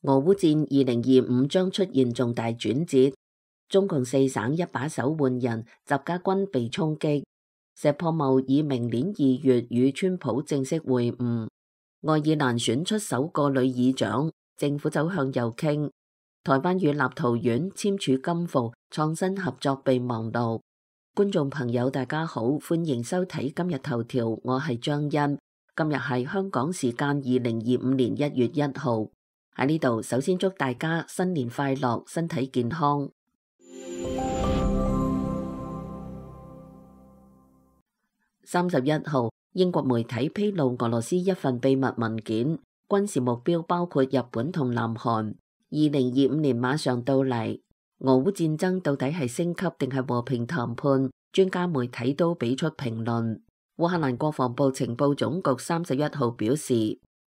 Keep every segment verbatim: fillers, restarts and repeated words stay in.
俄烏戰二零二五將出現重大轉折，中共四省一把手換人，習家軍被衝擊。石破茂以明年二月與川普正式會晤。愛爾蘭選出首個女議長，政府走向右傾。台灣與立陶宛簽署金埠創新合作備忘錄。觀眾朋友大家好，歡迎收睇今日頭條，我係張欣。今日係香港時間二零二五年一月一號。喺呢度，首先祝大家新年快樂，身體健康。三十一號，英國媒體披露俄羅斯一份秘密文件，軍事目標包括日本同南韓。二零二五年馬上到嚟，俄烏戰爭到底係升級定係和平談判？專家媒體都俾出評論。烏克蘭國防部情報總局三十一號表示，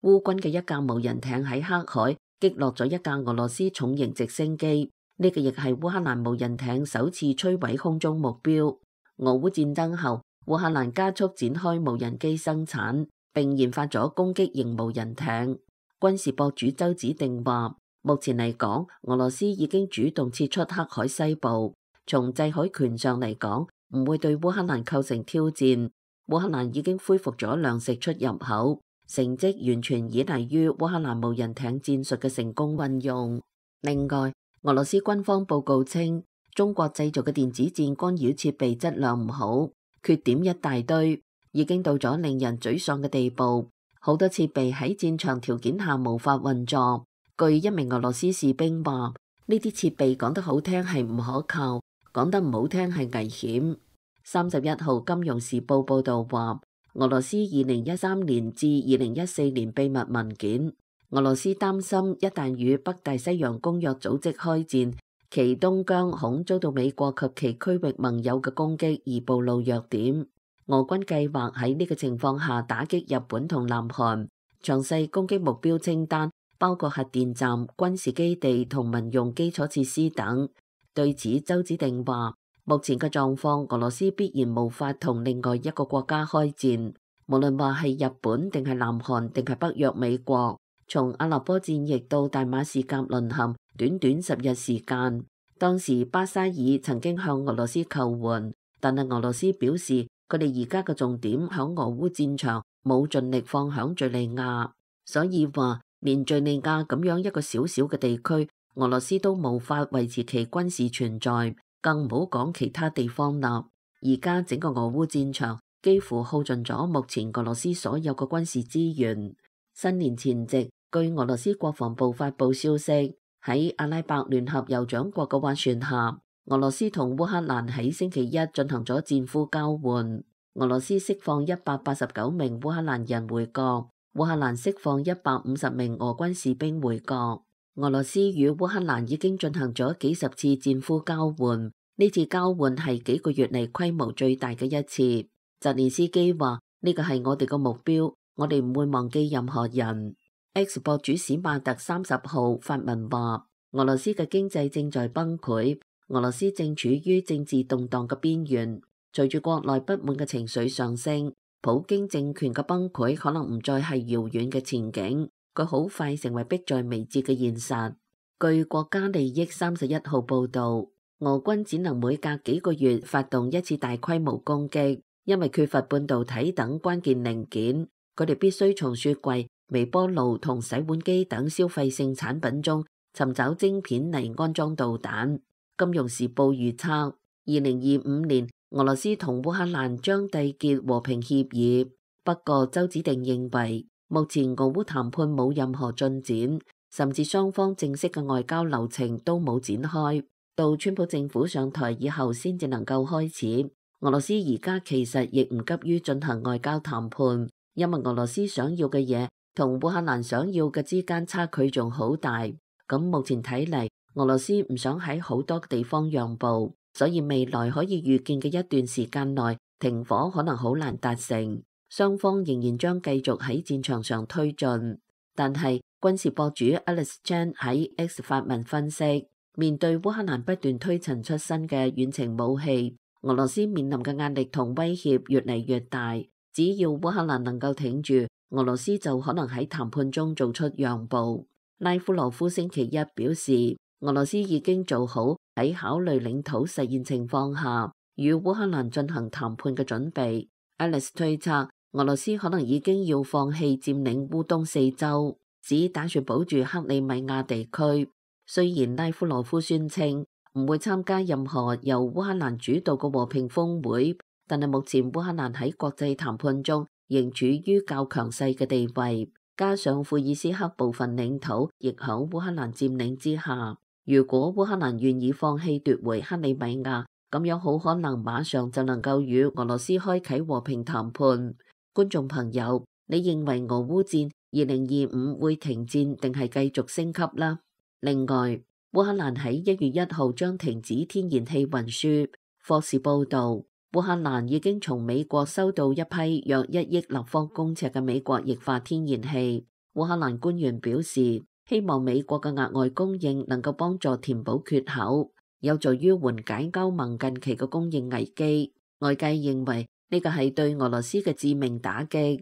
烏軍嘅一架無人艇喺黑海擊落咗一架俄羅斯重型直升機，呢個亦係烏克蘭無人艇首次摧毀空中目標。俄烏戰爭後，烏克蘭加速展開無人機生產，並研發咗攻擊型無人艇。軍事博主周子定話，目前嚟講，俄羅斯已經主動撤出黑海西部，從制海權上嚟講，唔會對烏克蘭構成挑戰。烏克蘭已經恢復咗糧食出入口，成績完全依賴於烏克蘭無人艇戰術嘅成功運用。另外，俄羅斯軍方報告稱，中國製造嘅電子戰干擾設備質量唔好，缺點一大堆，已經到咗令人沮喪嘅地步。好多設備喺戰場條件下無法運作。據一名俄羅斯士兵話，呢啲設備講得好聽係唔可靠，講得唔好聽係危險。三十一號金融時報報道話，俄羅斯二零一三年至二零一四年秘密文件，俄羅斯擔心一旦與北大西洋公約組織開戰，其東疆恐遭到美國及其區域盟友嘅攻擊而暴露弱點。俄軍計劃喺呢個情況下打擊日本同南韓，詳細攻擊目標清單包括核電站、軍事基地同民用基礎設施等。對此，周子定話，目前嘅狀況，俄羅斯必然無法同另外一個國家開戰，無論話係日本定係南韓定係北約美國。從阿勒頗戰役到大馬士革淪陷，短短十日時間。當時巴沙爾曾經向俄羅斯求援，但係俄羅斯表示佢哋而家嘅重點響俄烏戰場，冇盡力放響敘利亞，所以話連敘利亞咁樣一個小小嘅地區，俄羅斯都無法維持其軍事存在，更唔好講其他地方啦。而家整個俄烏戰場幾乎耗盡咗目前俄羅斯所有嘅軍事資源。新年前夕，據俄羅斯國防部發布消息，喺阿拉伯聯合酋長國嘅斡旋下，俄羅斯同烏克蘭喺星期一進行咗戰俘交換。俄羅斯釋放一百八十九名烏克蘭人回國，烏克蘭釋放一百五十名俄軍士兵回國。俄羅斯與烏克蘭已經進行咗幾十次戰俘交換，呢次交換係幾個月嚟規模最大嘅一次。澤連斯基話呢個係我哋個目標，我哋唔會忘記任何人。X 博主史馬特三十號發文話，俄羅斯嘅經濟正在崩潰，俄羅斯正處於政治動盪嘅邊緣。隨住國內不滿嘅情緒上升，普京政權嘅崩潰可能唔再係遙遠嘅前景，佢好快成為迫在眉睫嘅現實。據國家利益三十一號報道，俄軍只能每隔幾個月發動一次大規模攻擊，因為缺乏半導體等關鍵零件，佢哋必須從雪櫃、微波爐同洗碗機等消費性產品中尋找晶片嚟安裝導彈。金融時報預測，二零二五年俄羅斯同烏克蘭將締結和平協議。不過周子定認為，目前俄烏談判冇任何進展，甚至雙方正式嘅外交流程都冇展開，到川普政府上台以後先至能夠開始。俄羅斯而家其實亦唔急於進行外交談判，因為俄羅斯想要嘅嘢同烏克蘭想要嘅之間差距仲好大，咁目前睇嚟，俄羅斯唔想喺好多地方讓步，所以未來可以預見嘅一段時間內停火可能好難達成，雙方仍然將繼續喺戰場上推進。但係軍事博主 Alex Chan 喺 X 發文分析，面對烏克蘭不斷推陳出新嘅遠程武器，俄羅斯面臨嘅壓力同威脅越嚟越大，只要烏克蘭能夠挺住，俄羅斯就可能喺談判中做出讓步。拉夫羅夫星期一表示，俄羅斯已經做好喺考慮領土實現情況下與烏克蘭進行談判嘅準備。Alice 推測，俄羅斯可能已經要放棄佔領烏東四州，只打算保住克里米亞地區。雖然拉夫羅夫宣稱唔會參加任何由烏克蘭主導嘅和平峰會，但係目前烏克蘭喺國際談判中仍處於較強勢嘅地位，加上庫爾斯克部分領土亦喺烏克蘭佔領之下。如果烏克蘭願意放棄奪回克里米亞，咁樣好可能馬上就能夠與俄羅斯開啟和平談判。觀眾朋友，你認為俄烏戰二零二五會停戰定係繼續升級啦？另外，烏克蘭喺一月一號將停止天然氣運輸。霍士報導，烏克蘭已經從美國收到一批約一億立方公尺嘅美國液化天然氣。烏克蘭官員表示，希望美國嘅額外供應能夠幫助填補缺口，有助於緩解歐盟近期嘅供應危機。外界認為呢個係對俄羅斯嘅致命打擊。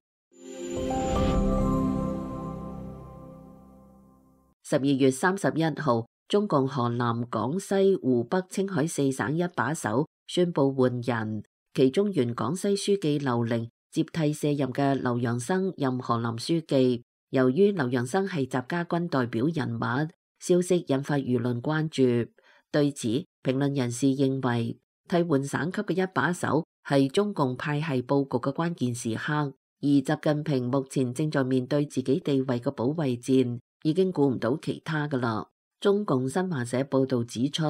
十二月三十一號，中共河南、廣西、湖北、青海四省一把手宣布換人，其中原廣西書記劉寧接替卸任嘅劉陽生任河南書記。由於劉陽生係習家軍代表人物，消息引發輿論關注。對此，評論人士認為，替換省級嘅一把手係中共派系佈局嘅關鍵時刻，而習近平目前正在面對自己地位嘅保衛戰，已經顧唔到其他㗎喇。中共新華社報導指出，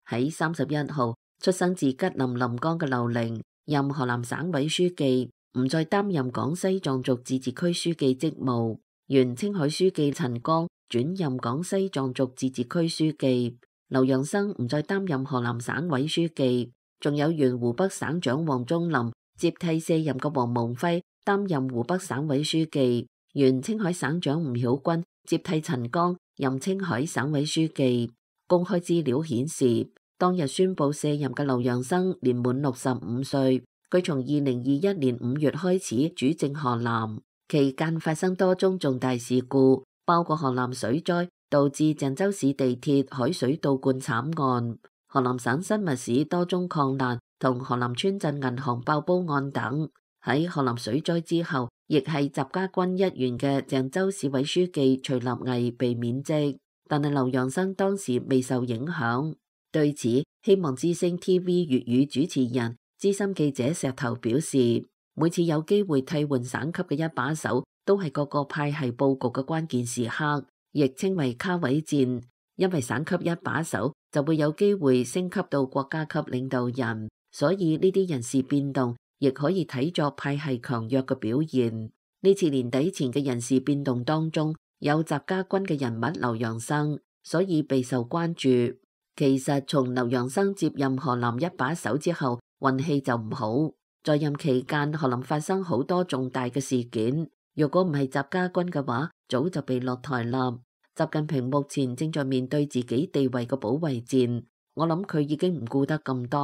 喺三十一號，出生自吉林臨江嘅劉寧任河南省委書記，唔再擔任廣西壯族自治區書記職務。原青海書記陳剛轉任廣西壯族自治區書記，劉陽生唔再擔任河南省委書記，仲有原湖北省長王忠林接替卸任嘅王蒙輝擔任湖北省委書記，原青海省長吳曉軍接替陳剛任青海省委書記。公開資料顯示，當日宣布卸任嘅劉陽生年滿六十五歲，佢從二零二一年五月開始主政河南。期間發生多宗重大事故，包括河南水災導致鄭州市地鐵海水倒灌慘案、河南省新密市多宗礦難同河南村鎮銀行爆煲案等。喺河南水災之後，亦係習家軍一員嘅鄭州市委書記徐立毅被免職，但係劉陽生當時未受影響。對此，希望之聲 T V 粵語主持人資深記者石頭表示，每次有機會替換省級嘅一把手，都係各個派系佈局嘅關鍵時刻，亦稱為卡位戰。因為省級一把手就會有機會升級到國家級領導人，所以呢啲人事變動亦可以睇作派系強弱嘅表現。呢次年底前嘅人事變動當中，有習家軍嘅人物劉陽生，所以備受關注。其實從劉陽生接任河南一把手之後，運氣就唔好。在任期間，河南發生好多重大嘅事件。如果唔係習家軍嘅話，早就被落台啦。習近平目前正在面對自己地位嘅保衛戰，我諗佢已經唔顧得咁多。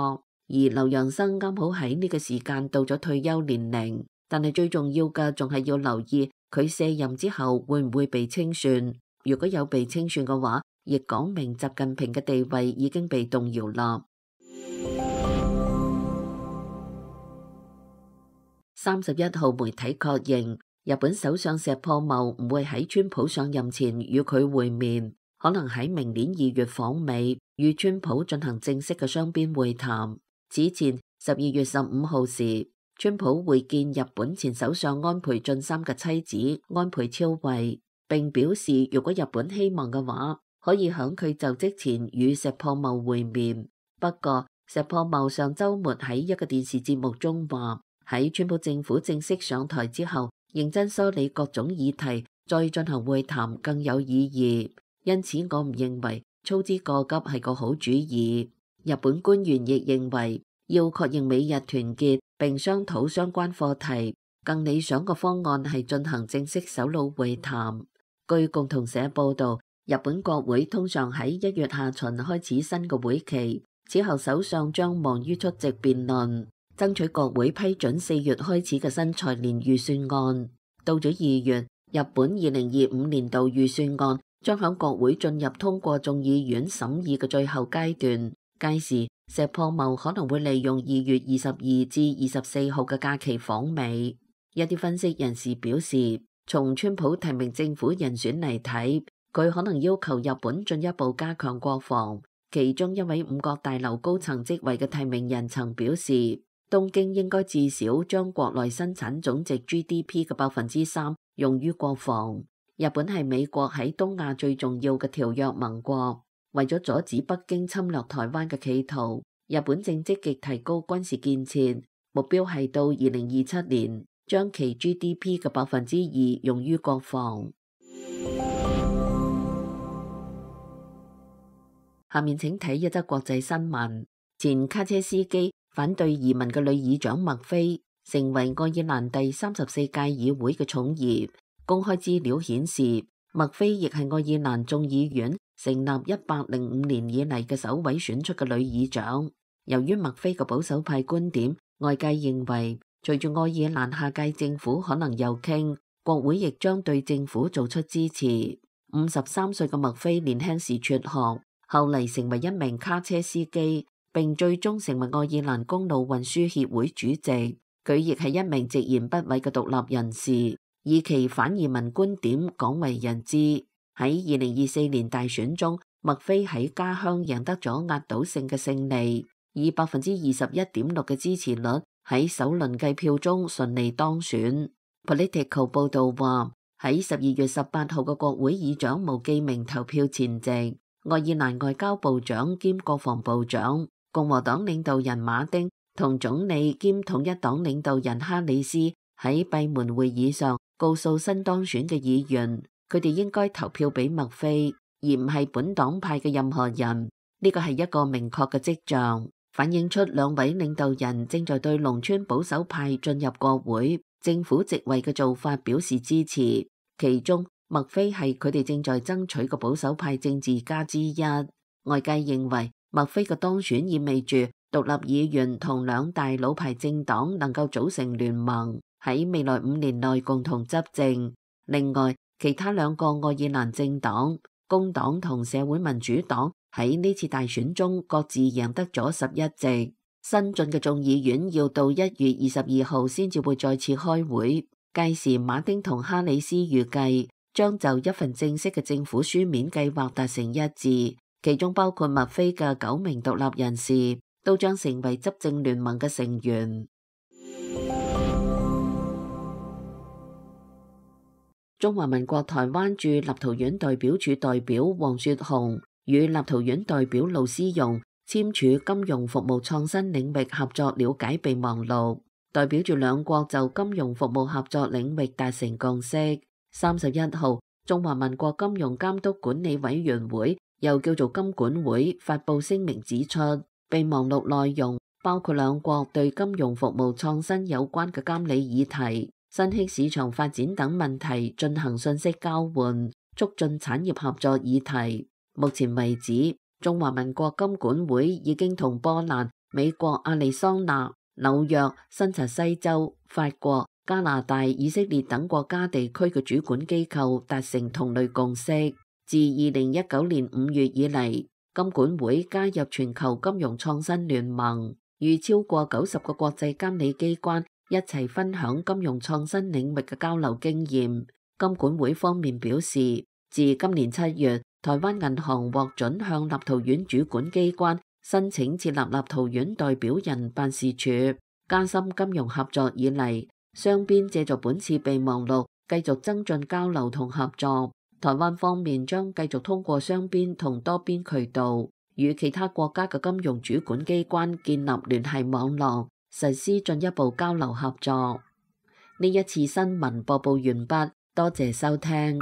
而劉陽生啱好喺呢個時間到咗退休年齡，但係最重要嘅仲係要留意佢卸任之後會唔會被清算。如果有被清算嘅話，亦講明習近平嘅地位已經被動搖啦。三十一號媒體確認，日本首相石破茂唔會喺川普上任前與佢會面，可能喺明年二月訪美，與川普進行正式嘅雙邊會談。此前十二月十五號時，川普會見日本前首相安倍晉三嘅妻子安倍昭惠，並表示如果日本希望嘅話，可以響佢就職前與石破茂會面。不過，石破茂上週末喺一個電視節目中話，喺川普政府正式上台之後，認真梳理各種議題，再進行會談更有意義。因此，我唔認為操之過急係個好主意。日本官員亦認為，要確認美日團結並商討相關課題，更理想嘅方案係進行正式首腦會談。據共同社報導，日本國會通常喺一月下旬開始新嘅會期，此後首相將忙於出席辯論，爭取國會批准四月開始嘅新財年預算案。到咗二月，日本二零二五年度預算案將響國會進入通過眾議院審議嘅最後階段。屆時，石破茂可能會利用二月二十二至二十四號嘅假期訪美。一啲分析人士表示，從川普提名政府人選嚟睇，佢可能要求日本進一步加強國防。其中一位五角大樓高層職位嘅提名人曾表示，東京應該至少將國內生產總值 G D P 嘅百分之三用於國防。日本係美國喺東亞最重要嘅條約盟國，為咗阻止北京侵略台灣嘅企圖，日本正積極提高軍事建設，目標係到二零二七年將其 G D P 嘅百分之二用於國防。下面請睇一則國際新聞。前卡車司機、反對移民嘅女議長麥菲成為愛爾蘭第三十四屆議會嘅寵兒。公開資料顯示，麥菲亦係愛爾蘭眾議院成立一百零五年以嚟嘅首位選出嘅女議長。由於麥菲嘅保守派觀點，外界認為隨住愛爾蘭下屆政府可能右傾，國會亦將對政府做出支持。五十三歲嘅麥菲年輕時輟學，後嚟成為一名卡車司機，並最終成為愛爾蘭公路運輸協會主席。佢亦係一名直言不諱嘅獨立人士，以其反移民觀點廣為人知。喺二零二四年大選中，麥菲喺家鄉贏得咗壓倒性嘅勝利，以百分之二十一點六嘅支持率喺首輪計票中順利當選。Politico 報道話，喺十二月十八號嘅國會議長無記名投票前夕，愛爾蘭外交部長兼國防部長、共和黨領導人馬丁同總理兼統一黨領導人哈里斯喺閉門會議上告訴新當選嘅議員，佢哋應該投票俾麥菲，而唔係本黨派嘅任何人。呢個係一個明確嘅跡象，反映出兩位領導人正在對農村保守派進入國會、政府席位嘅做法表示支持。其中，麥菲係佢哋正在爭取嘅保守派政治家之一。外界認為麥菲嘅當選意味住獨立議員同兩大老牌政黨能夠組成聯盟，喺未來五年內共同執政。另外，其他兩個愛爾蘭政黨工黨同社會民主黨喺呢次大選中各自贏得咗十一席。新進嘅眾議院要到一月二十二號先至會再次開會，屆時馬丁同哈里斯預計將就一份正式嘅政府書面計劃達成一致，其中包括麥菲嘅九名獨立人士都將成為執政聯盟嘅成員。中華民國台灣駐立陶宛代表處代表黃雪紅與立陶宛代表盧思容簽署金融服務創新領域合作了解備忘錄，代表住兩國就金融服務合作領域達成共識。三十一號，中華民國金融監督管理委員會又叫做金管會發布聲明指出，備忘錄內容包括兩國對金融服務創新有關嘅監理議題、新興市場發展等問題進行信息交換，促進產業合作議題。目前為止，中華民國金管會已經同波蘭、美國亞利桑那、紐約、新澤西州、法國、加拿大、以色列等國家地區嘅主管機構達成同類共識。自二零一九年五月以嚟，金管會加入全球金融創新聯盟，與超過九十個國際監理機關一齊分享金融創新領域嘅交流經驗。金管會方面表示，自今年七月，台灣銀行獲准向立陶宛主管機關申請設立立陶宛代表人辦事處，加深金融合作以嚟，雙邊借助本次備忘錄繼續增進交流同合作。台灣方面將繼續通過雙邊同多邊渠道，與其他國家嘅金融主管機關建立聯繫網絡，實施進一步交流合作。呢一次新聞播報完畢，多謝收聽。